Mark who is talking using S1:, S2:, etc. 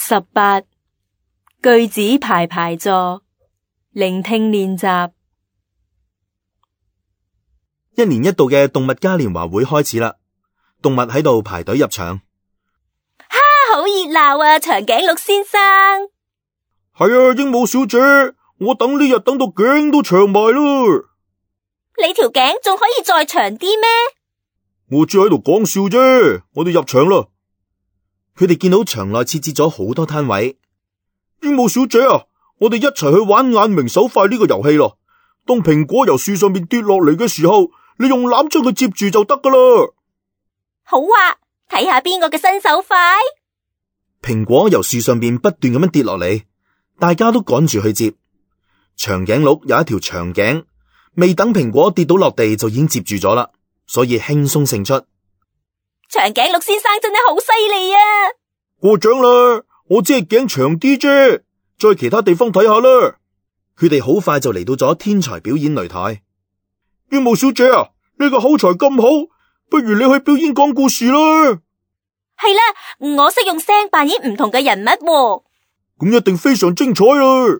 S1: 18句子排排坐，聆聽練習。
S2: 一年一度嘅動物嘉年華會開始啦，動物喺度排隊入場。
S1: 哈，好熱鬧啊！長頸鹿先生。
S2: 係啊，鸚鵡小姐，我等呢日等到頸都長埋啦。
S1: 你條頸仲可以再長啲咩？
S2: 我只喺度講笑啫，我哋入場啦。佢哋見到場內設置咗好多攤位。鸚鵡小姐啊，我哋一齊去玩眼明手快呢個遊戲咯。當蘋果由樹上面跌落嚟嘅時候，你用籃將佢接住就得噶啦。
S1: 好啊，睇下邊個嘅身手快。
S2: 蘋果由樹上邊不斷咁樣跌落嚟，大家都趕住去接。長頸鹿有一條長頸，未等蘋果跌到落地就已經接住咗啦，所以輕鬆勝出。
S1: 長頸鹿先生真係好犀利啊！
S2: 過獎啦，我只係頸長啲啫，再其他地方睇下啦。佢哋好快就嚟到咗天才表演擂台。鸚鵡小姐啊，你個口才咁好，不如你去表演講故事啦。
S1: 係啦，我識用聲扮演唔同嘅人物喎。
S2: 咁一定非常精彩啊！